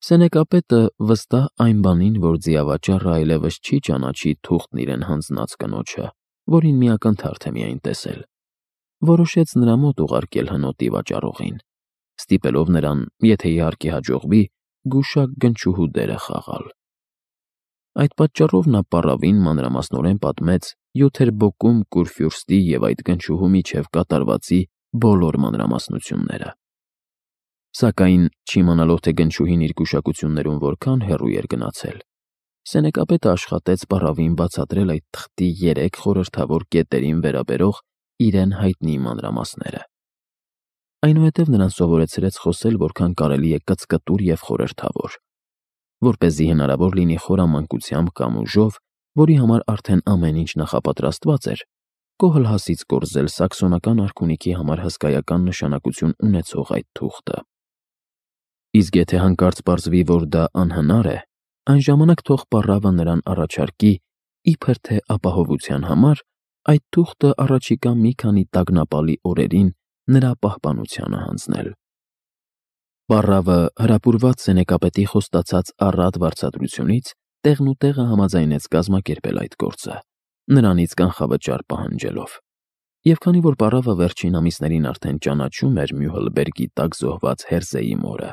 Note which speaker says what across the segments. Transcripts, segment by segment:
Speaker 1: Սենեկապետը վստահ այն բանին, որ ձիավաճառը այլևս չի ճանաչի թուղթն իրեն հանձնած կնոջը, որին մի ակնթարթ է միայն տեսել, որոշեց նրա մոտ ուղարկել հնոտի վաճառողին, ստիպելով նրան, եթե իհարկե հաջողվի, գուշակ գնչուհու դերը խաղալ։ Այդ պատճառով նա պառավին մանրամասնորեն պատմեց Յութերբոկում Կուրֆյուրստի և այդ գնչուհու միջև կատարվածի բոլոր մանրամասնությունները։ Սակայն, չիմանալով, թե գնչուհին իր գուշակություններում որքան հեռու էր գնացել, Սենեկապետը աշխատեց պառավին բացատրել այդ թղթի 3 խորհրդավոր կետերին վերաբերող իրեն հայտնի մանրամասները։ Այնուհետև նրան սովորեցրեց խոսել որքան կարելի է կծկտուր և խորհրդավոր, որպեսզի հնարավոր լինի խորամանկությամբ կամ ուժով, որի համար արդեն ամեն ինչ նախապատրաստված էր, Կոհլհասից կորզել սաքսոնական արքունիքի համար հսկայական նշանակություն ունեցող այդ թուղթը։ Իսկ եթե հանկարծ պարզվի, որ դա անհնար է, այն ժամանակ թող պառավը նրան առաջարկի, իբր թե ապահովության համար, այդ թուղթը առաջիկա մի քանի տագնապալի օրերին նրա պահպանությանը հանձնել։ Պառավը, հրապուրված Սենեկապետի խոստացած առատ վարձատրությունից, տեղնուտեղը համաձայնեց կազմակերպել այդ գործը, նրանից կանխավճար պահանջելով։ Եվ քանի որ պառավը վերջին ամիսներին արդեն ճանաչում էր Մյուհլբերգի տակ զոհված Հերզեի մորը,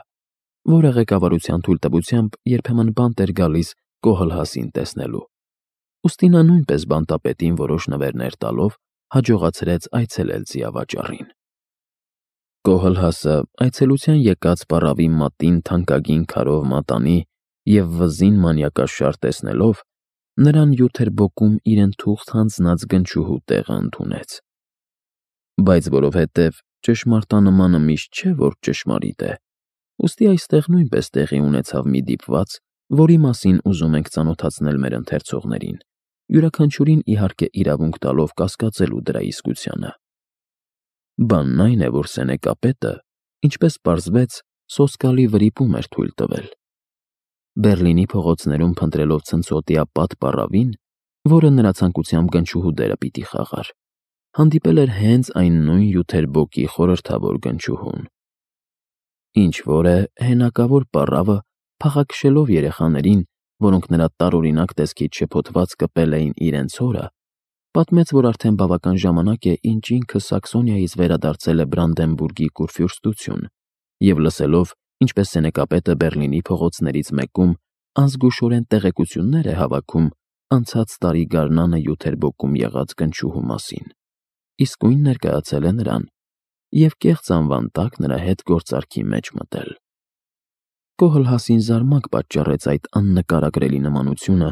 Speaker 1: որը ղեկավարության թույլտվությամբ երբեմն բանտ էր գալիս Կոհլհասին տեսնելու, ուստի նա նույնպես բանտապետին որոշ նվերներ տալով հաջողացրեց այցելել ձիավաճառին։ Կոհլհասը այցելության եկած պառավի մատին թանկագին քարով մատանի և վզին մանյակաշար տեսնելով, նրան Յութերբոկում իրեն թուղթ հանձնած գնչուհու տեղը ընդունեց։ Բայց որովհետև ճշմարտանմանը միշտ չէ, որ ճշմարիտ է, ուստի այստեղ նույնպես տեղի ունեցավ մի դիպված, որի մասին ուզում ենք ծանոթացնել մեր ընթերցողներին, յուրաքանչյուրին իհարկե իրավունք տալով կասկածելու դրա իսկությանը։ Բանն այն է, որ Սենեկապետը, ինչպես պարզվեց, սոսկալի վրիպում էր թույլ տվել։ Բեռլինի փողոցներում փնտրելով ցնցոտիապատ պառավին, որը նրա ցանկությամբ գնչուհու դերը պիտի խաղար, հանդիպել էր հենց այն նույն Յութերբոկի խորհրդավոր գնչուհուն։ Ինչ-որ է, հենակավոր պառավը, փախաքշելով երեխաներին, որոնք նրա տարօրինակ տեսքից շփոթված կպել էին իրենց հորը, պատմեց, որ արդեն բավական ժամանակ է, ինչ ինքը Սաքսոնիայից վերադարձել է Բրանդենբուրգի Կուրֆյուրստություն, և լսելով, ինչպես Սենեկապետը Բեռլինի փողոցներից մեկում անզգուշորեն տեղեկություններ է հավաքում անցած տարի գարնանը Յութերբոկում եղած գնչուհու մասին, իսկույն ներկայացել է նրան և կեղծ անվան տակ նրա հետ գործարքի մեջ մտել։ Կոհլհասին զարմանք պատճառեց այդ աննկարագրելի նմանությունը,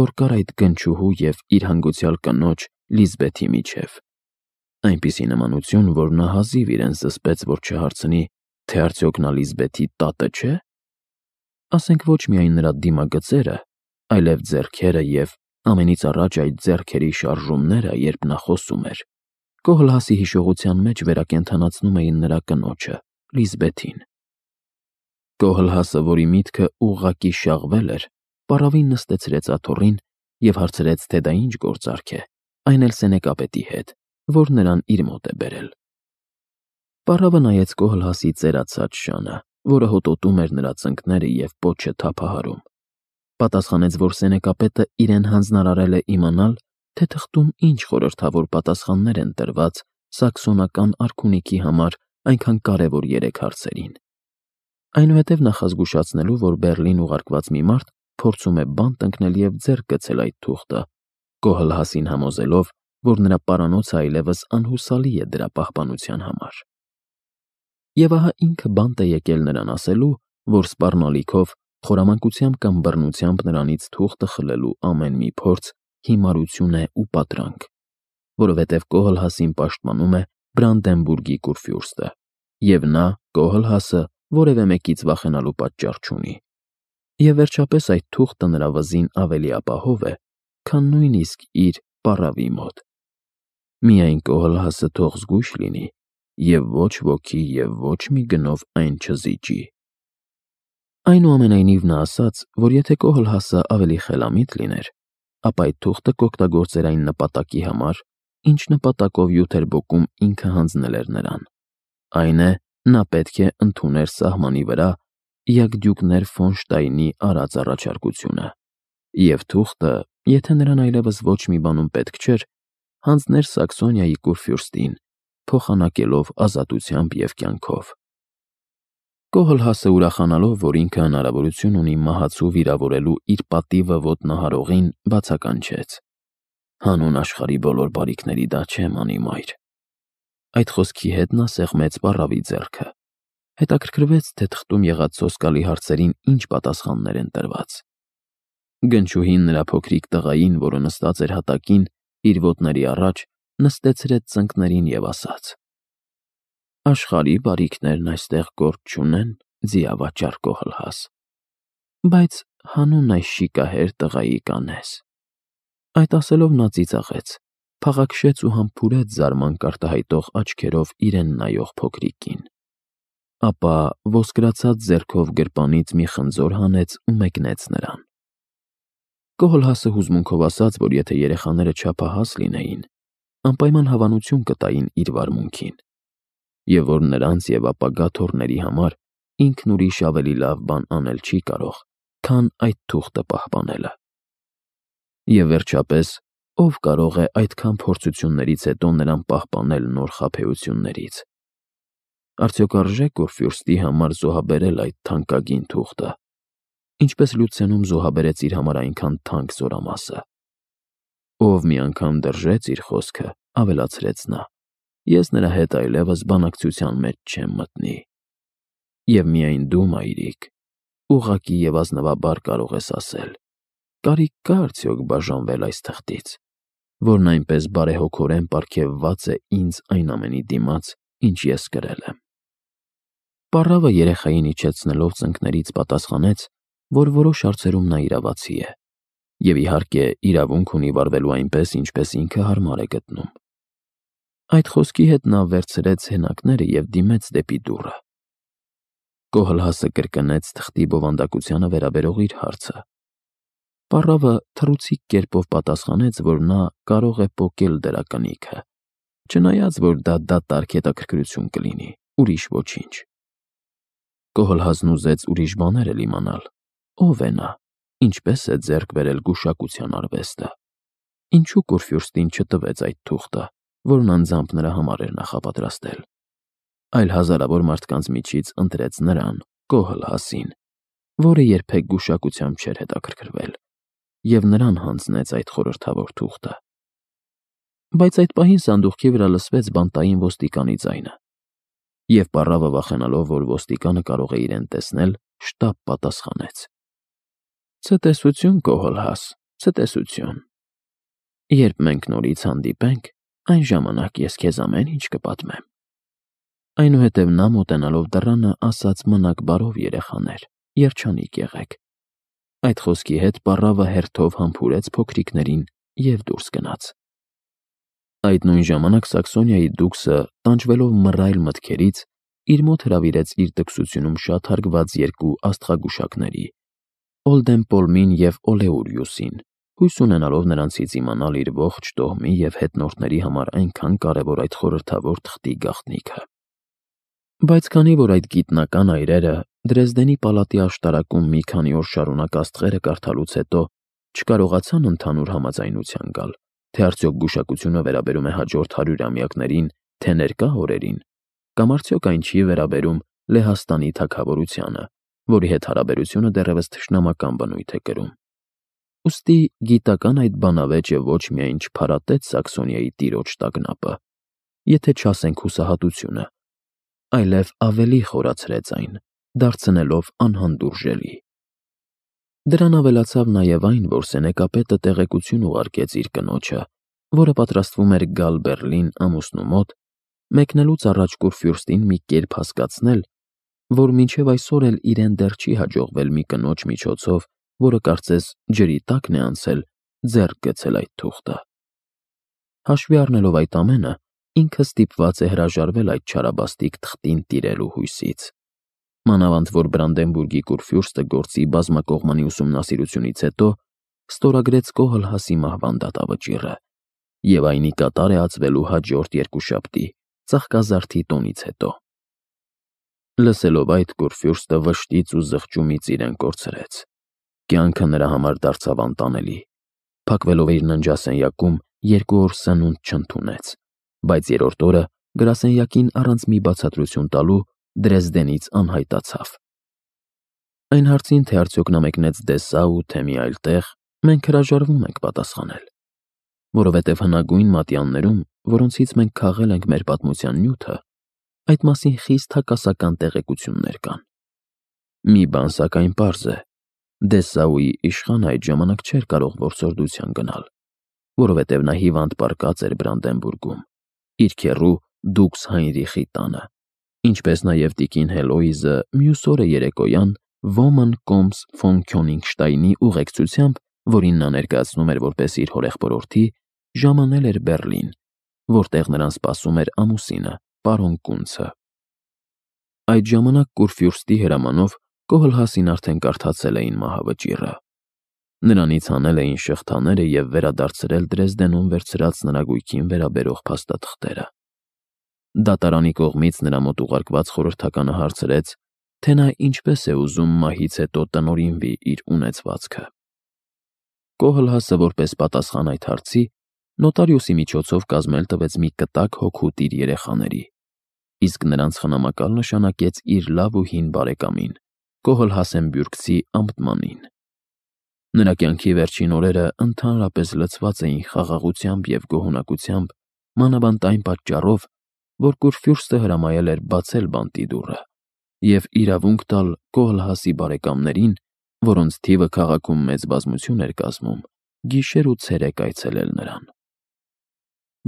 Speaker 1: որ կար այդ գնչուհու և իր հանգուցյալ կնոջ Լիզբեթի միջև։ Այնպիսի նմանություն, որ նա հազիվ իրեն զսպեց, որ չհարցնի, թե արդյոք նա Լիզբեթի տատը չէ՞։ Ասենք ոչ միայն նրա դիմագծերը, այլև ձեռքերը և, ամենից առաջ, այդ ձեռքերի շարժումները, երբ նա խոսում էր, Կոհլհասի հիշողության մեջ վերակենդանացնում էին նրա կնոջը, Լիզբեթին։ Կոհլհասը, որի միտքը ուղղակի շաղվել էր, պառավին նստեցրեց աթոռին և հարցրեց, թե դա ինչ գործարք է, այն էլ Սենեկապետի հետ, որ նրան իր մոտ է բերել։ Պառավը նայեց Կոհլհասի ծերացած շանը, որը հոտոտում էր նրա ծնկները և պոչը թափահարում, պատասխանեց, որ Սենեկապետը իրեն հանձնարարել է իմանալ, թե թղթում ինչ խորհրդավոր պատասխաններ են տրված սաքսոնական արքունիքի համար այնքան կարևոր 3 հարցերին։ Այնուհետև նախազգուշացնելու, որ Բեռլին ուղարկված մի մարդ փորձում է բանտ ընկնել և ձեռք գցել այդ թուղթը, Կոհլհասին համոզելով, որ նրա պարանոցը այլևս անհուսալի է դրա պահպանության համար։ Եվ ահա ինքը բանտ է եկել նրան ասելու, որ սպառնալիքով, խորամանկությամբ կամ բռնությամբ նրանից թուղթը խլելու ամեն մի փորձ հիմարություն է ու պատրանք, որովհետև Կոհլհասին պաշտպանում է Բրանդենբուրգի Կուրֆյուրստը, և նա, Կոհլհասը, որևէ մեկից վախենալու պատճառ չունի։ Եվ վերջապես այդ թուղթը նրա վզին ավելի ապահով է, քան նույնիսկ իր պառավի մոտ։ Միայն Կոհլհասը թող զգույշ լինի և ոչ ոքի և ոչ մի գնով այն չզիջի։ Այնուամենայնիվ նա ասաց, որ եթե Կոհլհասը ավելի խելամիտ լիներ, ապա այդ թուղթը կօգտագործեր այն նպատակի համար, ինչ նպատակով Յութերբոկում ինքը հանձնել էր նրան։ Այն է, նա պետք է ընդուներ սահմանի վրա Յագդյուկներ ֆոն Շտայնի արած առաջարկությունը, և թուղթը, եթե նրան այլևս ոչ մի բանում պետք չէր, հանձներ Սաքսոնիայի կուրֆյուրստին, փոխանակելով ազատությամբ և կյանքով։ Կոհլհասը ուրախանալով, որ ինքը հնարավորություն ունի մահացու վիրավորելու իր պատիվը ոտնահարողին, բացականչեց. «Հանուն աշխարհի բոլոր բարիքների դա չէ, մանիմայր»։ Այդ խոսքի հետ նա սեղմեց պառավի ձեռքը, հետաքրքրվեց, թե թղթում եղած սոսկալի հարցերին ինչ պատասխաններ են տրված։ Գնչուհին նրա փոքրիկ տղային, որը նստած էր հատակին, իր ոտների առաջ, նստեցրեց ծնկներին և ասաց. «Աշխարհի բարիքներն այստեղ գործ չունեն, ձիավաճառ Կոհլհաս, բայց հանուն այս շիկահեր տղայի կանես»։ Այդ ասելով նա ծիծաղեց, փաղաքշեց ու համբուրեց զարմանք արտահայտող աչքերով իրեն նայող փոքրիկին։ Ապա ոսկրացած ձեռքով գրպանից մի խնձոր հանեց ու մեկնեց նրան։ Կոհլհասը հուզմունքով ասաց, որ եթե երեխաները չափահաս լինեին, անպայման հավանություն կտային իր վարմունքին, և որ նրանց և ապագա թոռների համար ինքն ուրիշ ավելի լավ բան անել չի կարող, քան այդ թուղթը պահպանելը։ Եվ վերջապես, ով կարող է այդքան փորձություններից հետո նրան պահպանել նոր խաբեություններից։ Արդյոք արժե կուրֆյուրստի համար զոհաբերել այդ թանկագին թուղթը, ինչպես Լյուցենում զոհաբերեց իր համար այնքան թանկ զորամասը։ Ով մի անգամ դրժեց իր խոսքը, ավելացրեց նա, ես նրա հետ այլևս բանակցության մեջ չեմ մտնի։ Եվ միայն դու, մայրիկ, ուղղակի և ազնվաբար կարող ես ասել. կարիք կա՞ արդյոք բաժանվել այս թղթից, որն այնպես բարեհոգորեն պարգևված է ինձ այն ամենի դիմաց, ինչ ես կրել եմ։ Պառավը երեխային իջեցնելով ծնկներից պատասխանեց, որ որոշ հարցերում նա իրավացի է, և իհարկե իրավունք ունի վարվելու այնպես, ինչպես ինքը հարմար է գտնում։ Այդ խոսքի հետ նա վերցրեց հենակները և դիմեց դեպի դուռը։ Կոհլհասը կրկնեց թղթի բովանդակությանը վերաբերող իր հարցը։ Պառավը թռուցիկ կերպով պատասխանեց, որ նա կարող է պոկել դրա կնիքը, չնայած որ դա դատարկ հետաքրքրություն կլինի, ուրիշ ոչինչ։ Կոհլհասն ուզեց ուրիշ բաներ էլ իմանալ. ով է նա, ինչպես է ձեռք բերել գուշակության արվեստը, ինչու կուրֆյուրստին չտվեց այդ թուղթը, որն անձամբ նրա համար էր նախապատրաստել, այլ հազարավոր մարդկանց միջից ընտրեց նրան, Կոհլհասին, որը երբեք գուշակությամբ չէր հետաքրքրվել, և նրան հանձնեց այդ խորհրդավոր թուղթը։ Բայց այդ պահին սանդուղքի վրա լսվեց բանտային ոստիկանի ձայնը, և պառավը վախենալով, որ ոստիկանը կարող է իրեն տեսնել, շտապ պատասխանեց. «Ցտեսություն, Կոհլհաս, ցտեսություն։ Երբ մենք նորից հանդիպենք, այն ժամանակ ես քեզ ամեն ինչ կպատմեմ»։ Այնուհետև նա մոտենալով դռանը ասաց. «Մնաք բարով, երեխաներ, երջանիկ եղեք»։ Այդ խոսքի հետ պառավը հերթով համբուրեց փոքրիկներին և դուրս գնաց։ Այդ նույն ժամանակ Սաքսոնիայի դուքսը, տանջվելով մռայլ մտքերից, իր մոտ հրավիրեց իր դքսությունում շատ հարգված երկու աստղագուշակների՝ Օլդեմպոլմին և Օլեուրիուսին, հույս ունենալով նրանցից իմանալ իր ողջ տոհմի և հետնորդների համար այնքան կարևոր այդ խորհրդավոր թղթի գաղտնիքը։ Բայց քանի որ այդ գիտնական այրերը Դրեզդենի պալատի աշտարակում մի քանի օր շարունակ աստղերը կարդալուց հետո չկարողացան ընդհանուր համաձայնության գալ, թե արդյոք գուշակությունը վերաբերում է հաջորդ 100-ամյակներին, թե ներկա օրերին, կամ արդյոք այն չի վերաբերում Լեհաստանի թագավորությանը, որի հետ հարաբերությունը դեռևս թշնամական բնույթ է կրում։ Ուստի գիտական այդ բանավեճը ոչ միայն չփարատեց Սաքսոնիայի տիրոջ տագնապը, եթե չասենք հուսահատությունը, այլև ավելի խորացրեց այն, դարձնելով անհանդուրժելի։ Դրան ավելացավ նաև այն, որ սենեկապետը տեղեկություն ուղարկեց իր կնոջը, որը պատրաստվում էր գալ Բեռլին ամուսնու մոտ, մեկնելուց առաջ կուրֆյուրստին մի կերպ հասկացնել, որ մինչև այսօր էլ իրեն դեռ չի հաջողվել մի կնոջ միջոցով, որը կարծես ջրի տակն է անցել, ձեռք գցել այդ թուղթը։ Հաշվի առնելով այդ ամենը, ինքը ստիպված է հրաժարվել այդ չարաբաստիկ թղթին տիրելու հույսից։ Մանավանդ որ Բրանդենբուրգի կուրֆյուրստը գործի բազմակողմանի ուսումնասիրությունից հետո ստորագրեց Կոհլհասի մահվան դատավճիռը, և այն ի կատար է ածվելու հաջորդ երկուշաբթի, ծաղկազարդի տոնից հետո։ Լսելով այդ, Կուրֆյուրստը վշտից ու զղջումից իրեն կորցրեց։ Կյանքը նրա համար դարձավ անտանելի։ Փակվելով իր ննջասենյակում 2 օր սնունդ չընդունեց, բայց 3-րդ օրը գրասենյակին առանց մի բացատրություն տալու Դրեզդենից անհայտացավ։ Այն հարցին, թե արդյոք նա մեկնեց Դեսսաու, թե մի այլ տեղ, մենք հրաժարվում ենք պատասխանել, որովհետև հնագույն մատյաններում, որոնցից մենք քաղել ենք մեր պատմության նյութը, այդ մասին խիստ հակասական տեղեկություններ կան։ Մի բան սակայն պարզ է. Դեսսաուի իշխանը այդ ժամանակ չէր կարող որսորդության գնալ, որովհետև նա հիվանդ պառկած էր Բրանդենբուրգում, իր քեռու Դուքս Հայնրիխի տանը, ինչպես նաև տիկին Հելոիզը մյուս օրը երեկոյան Ոման Կոմս ֆոն Քյոնիգշտայնի ուղեկցությամբ, որին նա ներկայացնում էր որպես իր հորեղբորորդի, ժամանել էր Բեռլին, որտեղ նրան սպասում էր ամուսինը, պարոն Կունցը։ Այդ ժամանակ Կուրֆյուրստի հրամանով Կոհլհասին արդեն կարդացել էին մահավճիռը։ Նրանից հանել էին շղթաները և վերադարձրել Դրեզդենում վերցրած նրա գույքին վերաբերող փաստաթղթերը։ Դատարանի կողմից նրա մոտ ուղարկված խորհրդականը հարցրեց, թե նա ինչպես է ուզում մահից հետո տնօրինվի իր ունեցվածքը։ Կոհլհասը որպես պատասխան այդ հարցի նոտարիուսի միջոցով կազմել տվեց մի կտակ հոգուտ իր երեխաների, իսկ նրանց խնամակալ նշանակեց իր լավ ու հին բարեկամին, Կոհլհասենբյուրգցի ամտմանին։ Նրա կյանքի վերջին օրերը ընդհանրապես լցված էին խաղաղությամբ և գոհունակությամբ, մանավանդ այն պատճառով, որ Կուրֆյուրստը հրամայել էր բացել բանտի դուռը և իրավունք տալ Կոհլհասի բարեկամներին, որոնց թիվը քաղաքում մեծ բազմություն էր կազմում, գիշեր ու ցերեկ այցելել նրան։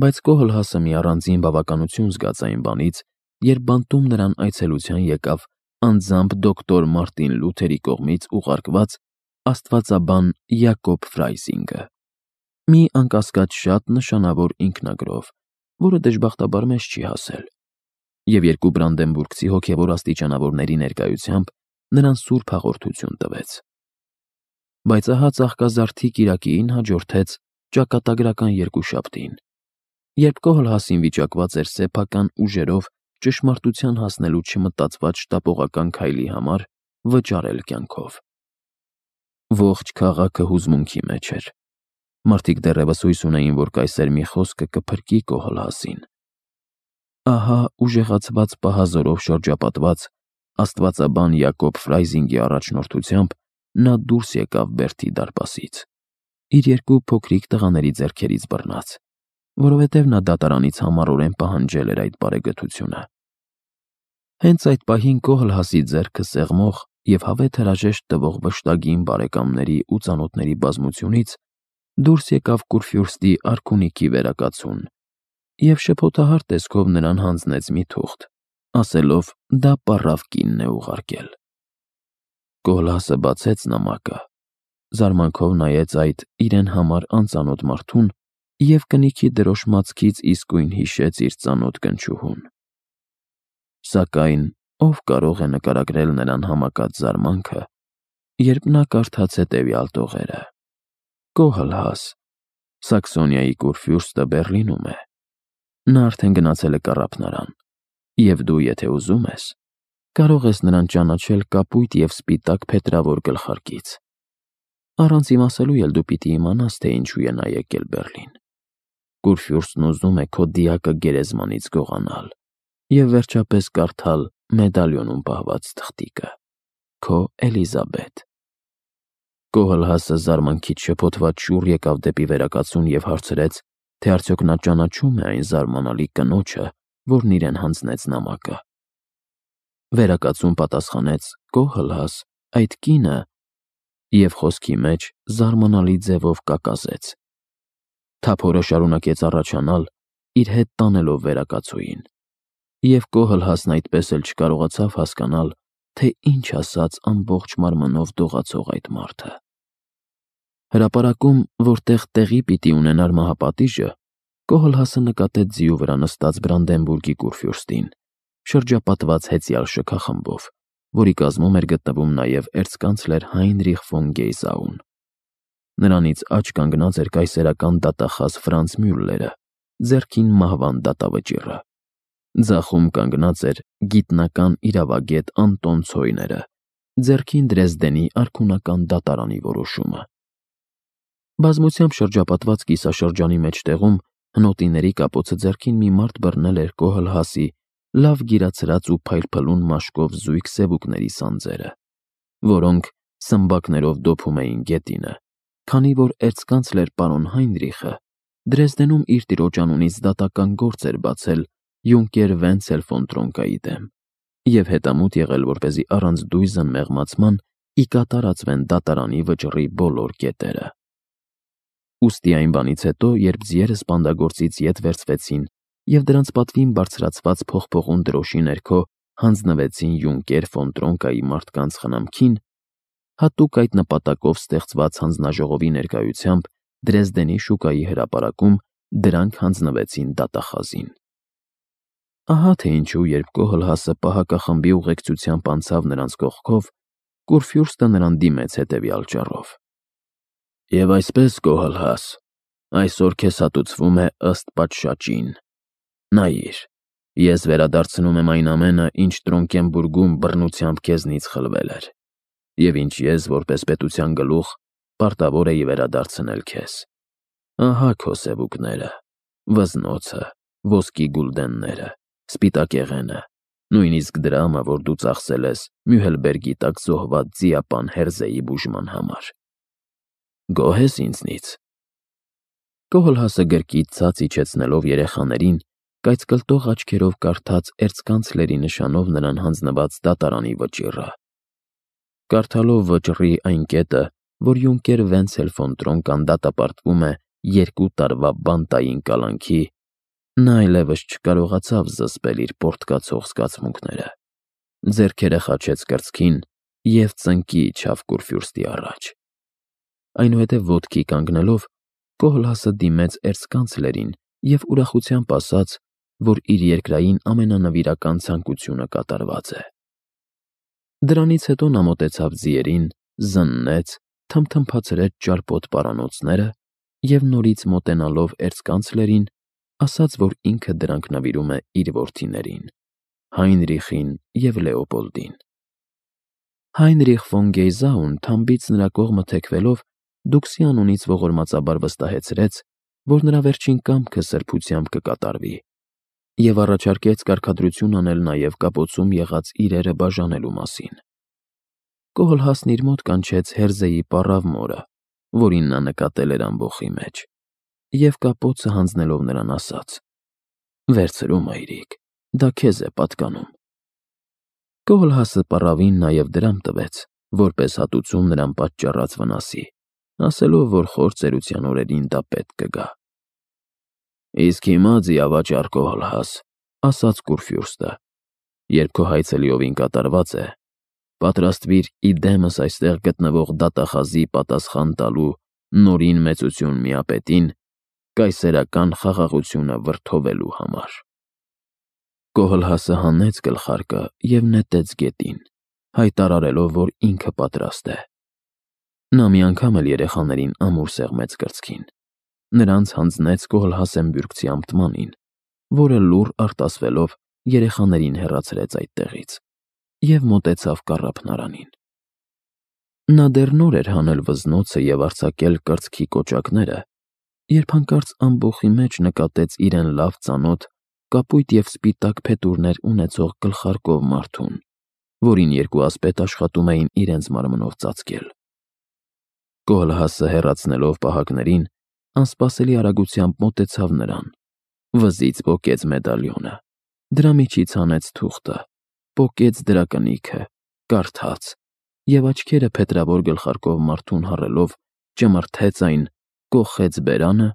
Speaker 1: Բայց Կոհլհասը մի առանձին բավականություն զգաց այն բանից, երբ բանտում նրան այցելության եկավ անձամբ դոկտոր Մարտին Լութերի կողմից ուղարկված աստվածաբան Յակոբ Ֆրայզինգը, մի անկասկած շատ նշանավոր ինքնագրով, որը դժբախտաբար մեզ չի հասել, և 2 բրանդենբուրգցի հոգևոր աստիճանավորների ներկայությամբ նրան սուրբ հաղորդություն տվեց։ Բայց ահա ծաղկազարդի կիրակիին հաջորդեց ճակատագրական երկուշաբթին, երբ Կոհլհասին վիճակված էր սեփական ուժերով ճշմարտության հասնելու չմտածված շտապողական քայլի համար վճարել կյանքով։ Ողջ քաղաքը հուզմունքի մեջ էր։ Մարդիկ դեռևս հույս ունեին, որ կայսեր մի խոսքը կփրկի Կոհլհասին։ Ահա ուժեղացված պահազորով շրջապատված աստվածաբան Յակոբ Ֆրայզինգի առաջնորդությամբ նա դուրս եկավ Բերթի դարպասից, իր 2 փոքրիկ տղաների ձեռքերից բռնած, որովհետև նա դատարանից համառորեն պահանջել էր այդ բարեգթությունը։ Հենց այդ պահին Կոհլհասի ձեռքը սեղմող և հավեթ հրաժեշտ տվող վշտագին բարեկամների ու ծանոթների բազմությունից դուրս եկավ Կուրֆյուրստի արքունիքի վերակացուն և շփոթահար տեսքով նրան հանձնեց մի թուղթ, ասելով դա պառավ կինն է ուղարկել։ Կոհլհասը բացեց նամակը, զարմանքով նայեց այդ իրեն համար անծանոթ մարդուն և կնիքի դրոշմացքից իսկույն հիշեց իր ծանոթ կնչուհուն։ Սակայն ով կարող է նկարագրել նրան համակած զարմանքը, երբ նա կարդաց հետևյալ տողերը. Կոհլհաս, Սաքսոնիայի Կուրֆյուրստը Բեռլինում է։ Նա արդեն գնացել է կառափնարան, և դու, եթե ուզում ես, կարող ես նրան ճանաչել կապույտ և սպիտակ փետրավոր գլխարկից։ Առանց իմասելու էլ դու պիտի իմանաս, թե ինչու է նա եկել Բեռլին։ Կուրֆյուրստն ուզում է քո դիակը գերեզմանից գողանալ և վերջապես կարդալ մեդալյոնում պահված թղթիկը. Քո Էլիզաբետ։ Կոհլհասը զարմանքից շփոթված շուռ եկավ դեպի վերակացուն և հարցրեց, թե արդյոք նա ճանաչում է այն զարմանալի կնոջը, որն իրեն հանձնեց նամակը։ Վերակացուն պատասխանեց. Կոհլհաս, այդ կինը, և խոսքի մեջ զարմանալի ձևով կակազեց։ Թափորը շարունակեց առաջանալ, իր հետ տանելով վերակացուին, և Կոհլհասն այդպես էլ չկարողացավ հասկանալ, թե ինչ ասաց ամբողջ մարմնով դողացող այդ մարդը։ Հրապարակում, որտեղ տեղի պիտի ունենար մահապատիժը, Կոհլհասը նկատեց ձիու վրա նստած Բրանդենբուրգի Կուրֆյուրստին, շրջապատված հեծյալ շքախմբով, որի կազմում էր գտնվում նաև էրցկանցլեր Հայնրիխ ֆոն Գեյզաուն։ Նրանից աջ կանգնած էր կայսերական դատախազ Ֆրանց Մյուլլերը, ձեռքին մահվան դատավճիռը։ Ձախում կանգնած էր գիտնական իրավագետ Անտոն Ցոյները, ձեռքին Դրեզդենի արքունական դատարանի որոշումը։ Բազմությամբ շրջապատված կիսաշրջանի մեջտեղում հնոտիների կապոցը ձեռքին մի մարդ բռնել էր Կոհլհասի լավ գիրացրած ու փայլփլուն մաշկով զույգ սևուկների սանձերը, որոնք սմբակներով դոփում էին գետինը, քանի որ էրցկանցլեր պարոն Հայնրիխը Դրեզդենում իր տիրոջ անունից դատական գործ էր բացել Յունկեր Վենցել ֆոն Տրոնկայի դեմ և հետամուտ եղել, որպեսզի առանց դույզն մեղմացման ի կատարածվեն դատարանի վճռի բոլոր կետերը։ Ուստի այն բանից հետո, երբ ձիերը սպանդագործից ետ վերցվեցին և դրանց պատվին բարձրացված փողփողուն դրոշի ներքո հանձնվեցին Յունկեր ֆոն Տրոնկայի մարդկանց խնամքին, հատուկ այդ նպատակով ստեղծված հանձնաժողովի ներկայությամբ Դրեզդենի շուկայի հրապարակում դրանք հանձնվեցին դատախազին։ Ահա թե ինչու, երբ Կոհլհասը պահակախմբի ուղեկցությամբ անցավ նրանց կողքով, Կուրֆյուրստը նրան դիմեց հետևյալ ճառով. «Եվ այսպես, Կոհլհաս, այսօր քեզ հատուցվում է ըստ պատշաճին։ Նայիր, ես վերադարձնում եմ այն ամենը, ինչ Տրոնկենբուրգում բռնությամբ քեզնից խլվել էր, և ինչ ես, որպես պետության գլուխ, պարտավոր էի վերադարձնել քեզ։ Ահա քո սևուկները, վզնոցը, ոսկի գուլդենները, սպիտակեղենը, նույնիսկ դրամը, որ դու ծախսել ես Մյուհելբերգի տակ զոհված ձիապան Հերզեի բուժման համար։ Գոհ ես ինձնից»։ Կոհլհասը գրկից ցած իջեցնելով երեխաներին, կայծկլտող աչքերով կարդաց էրցկանցլերի նշանով նրան հանձնված դատարանի վճիռը։ Կարդալով վճռի այն կետը, որ Յունկեր Վենցել ֆոն Տրոնկան դատապարտվում է 2 տարվա բանտային կալանքի, նա այլևս չկարողացավ զսպել իր պոռթկացող զգացմունքները, ձեռքերը խաչեց կրծքին և ծնկի իջավ Կուրֆյուրստի առաջ։ Այնուհետև ոտքի կանգնելով Կոհլհասը դիմեց էրցկանցլերին և ուրախությամբ ասաց, որ իր երկրային ամենանվիրական ցանկությունը կատարված է։ Դրանից հետո նա մոտեցավ ձիերին, զննեց, թմթմփացրեց ճարպոտ պարանոցները և նորից մոտենալով էրցկանցլերին, ասաց, որ ինքը դրանք նվիրում է իր որդիներին՝ Հայնրիխին և Լեոպոլդին։ Հայնրիխ ֆոն Գեյզաուն թամբից նրա կողմը թեքվելով Դուքսի անունից ողորմածաբար վստահեցրեց, որ նրա վերջին կամքը սրբությամբ կկատարվի, և առաջարկեց կարգադրություն անել նաև կապոցում եղած իրերը բաժանելու մասին։ Կոհլհասն իր մոտ կանչեց Հերզեի պառավ մորը, որին նա նկատել էր ամբոխի մեջ, և կապոցը հանձնելով նրան ասաց. «Վերցրու, մայրիկ, դա քեզ է պատկանում»։ Կոհլհասը պառավին նաև դրամ տվեց, որպես հատուցում նրան պատճառած վնասի, ասելով, որ խոր ծերության օրերին դա պետք կգա։ «Իսկ հիմա, ձիավաճառ Կոհլհաս, ասաց Կուրֆյուրստը, երբ քո հայցը լիովին կատարված է, պատրաստվիր իդեմս այստեղ գտնվող դատախազի պատասխան տալու Նորին մեծություն միապետին կայսերական խաղաղությունը վրդովելու համար»։ Կոհլհասը հանեց գլխարկը և նետեց գետին, հայտարարելով, որ ինքը պատրաստ է։ Նա մի անգամ էլ երեխաներին ամուր սեղմեց կրծքին, նրանց հանձնեց Կոհլհասենբյուրգցի ամտմանին, որը լուռ արտասվելով երեխաներին հեռացրեց այդտեղից և մոտեցավ կառափնարանին։ Նա դեռ նոր էր հանել վզնոցը և արձակել կրծքի կոճակները, երբ հանկարծ ամբոխի մեջ նկատեց իրեն լավ ծանոթ կապույտ և սպիտակ փետուրներ ունեցող գլխարկով մարդուն, որին երկու ասպետ աշխատում էին իրենց մարմնով ծածկել։ Կոհլհասը հեռացնելով պահակներին, անսպասելի արագությամբ մոտեցավ նրան, վզից պոկեց մեդալյոնը, դրա միջից հանեց թուղթը, պոկեց դրա կնիքը, կարդաց և աչքերը փետրավոր գլխարկով մարդուն հառելով ճմրթեց այն, կոխեց բերանը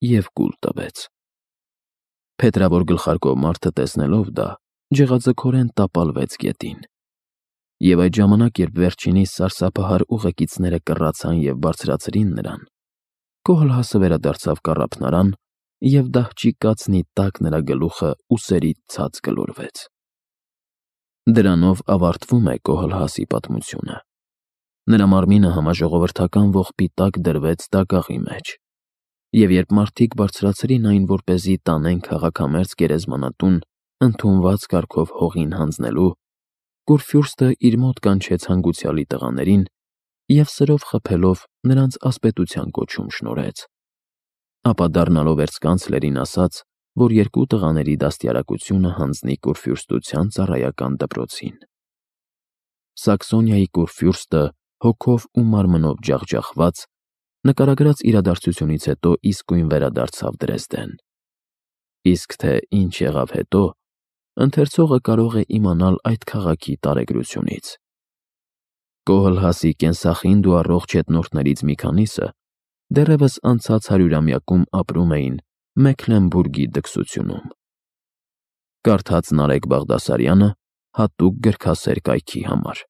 Speaker 1: և կուլ տվեց։ Փետրավոր գլխարկով մարդը տեսնելով դա, ջղաձգորեն տապալվեց գետին։ Եվ այդ ժամանակ, երբ վերջինիս սարսափահար ուղեկիցները կռացան և բարձրացրին նրան, Կոհլհասը վերադարձավ կառափնարան և դահճի կացնի տակ նրա գլուխը ուսերից ցած գլորվեց։ Դրանով ավարտվում է Կոհլհասի պատմությունը։ Նրա մարմինը համաժողովրդական ողբի տակ դրվեց դագաղի մեջ, և երբ մարդիկ բարձրացրին այն, որպեսզի տանեն քաղաքամերձ գերեզմանատուն, ընդունված կարգով հողին հանձնելու, Կուրֆյուրստը իր մոտ կանչեց հանգուցյալի տղաներին և սրով խփելով նրանց ասպետության կոչում շնորհեց։ Ապա դառնալով էրցկանցլերին ասաց, որ երկու տղաների դաստիարակությունը հանձնի Կուրֆյուրստության ծառայական դպրոցին։ Սաքսոնիայի Կուրֆյուրստը հոգով ու մարմնով ջախջախված, նկարագրած իրադարձությունից հետո իսկույն վերադարձավ Դրեզդեն։ Իսկ թե ինչ եղավ հետո, ընթերցողը կարող է իմանալ այդ քաղաքի տարեգրությունից։ Կոհլհասի կենսախինդ ու առողջ հետնորդներից մի քանիսը դեռևս անցած 100-ամյակում ապրում էին Մեքլենբուրգի դքսությունում։ Կարդաց Նարեկ Բաղդասարյանը հատուկ գրքասեր կայքի համար։